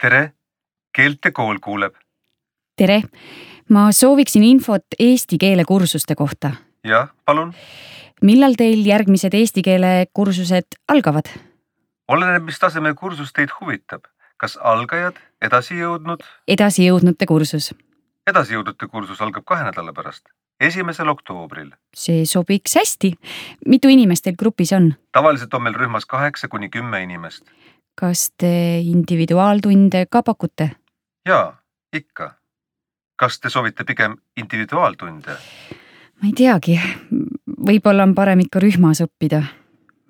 tere, keeltekool kuuleb. Tere, ma sooviksin infot eesti keele kursuste kohta. Jah, palun. Millal teil järgmised eesti keele kursused algavad? Oleneb, mis tasemel kursus teid huvitab. Kas algajad, edasijõudnud? Edasijõudnute kursus. Edasijõudnute kursus algab 2 nädala pärast, 1. oktoobril. See sobiks hästi. Mitu inimest teil grupis on? Tavaliselt on meil rühmas 8 kuni 10 inimest. Kas te individuaaltunde ka pakute? Jaa, ikka. Kas te soovite pigem individuaaltunde? Ma ei teagi. Võib-olla on parem ikka rühmas õppida.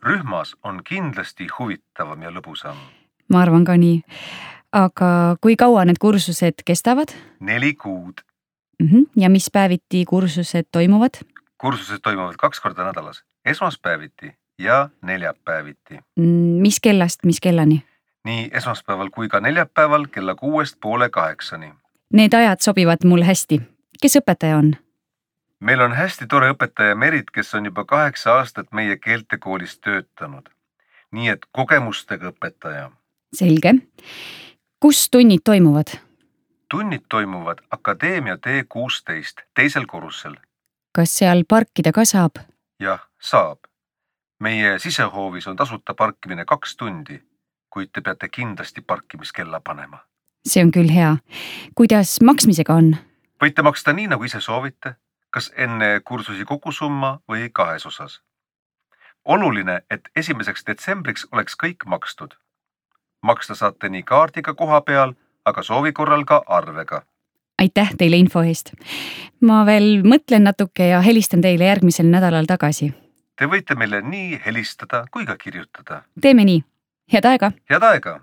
Rühmas on kindlasti huvitavam ja lõbusam. Ma arvan ka nii. Aga kui kaua need kursused kestavad? 4 kuud. Ja mis päeviti kursused toimuvad? Kursused toimuvad 2 korda nädalas, esmaspäeviti ja neljapäeviti. Mis kellast, mis kellani? Nii esmaspäeval kui ka neljapäeval kella 6:30. Need ajad sobivad mul hästi. Kes õpetaja on? Meil on hästi tore õpetaja Merit, kes on juba 8 aastat meie keeltekoolis töötanud. Nii et kogemustega õpetaja. Selge. Kus tunnid toimuvad? Tunnid toimuvad Akadeemia T16 teisel korrusel. Kas seal parkida ka saab? Jah, saab. Meie sisehoovis on tasuta parkimine 2 tundi, kuid te peate kindlasti parkimiskella panema. See on küll hea. Kuidas maksmisega on? Võite maksta nii, nagu ise soovite, kas enne kursusi kogusumma või 2 osas. Oluline, et 1. detsembriks oleks kõik makstud. Maksta saate nii kaardiga koha peal, aga soovi korral ka arvega. Aitäh teile info eest. Ma veel mõtlen natuke ja helistan teile järgmisel nädalal tagasi. Te võite meile nii helistada kui ka kirjutada. Teeme nii. Head aega! Head aega!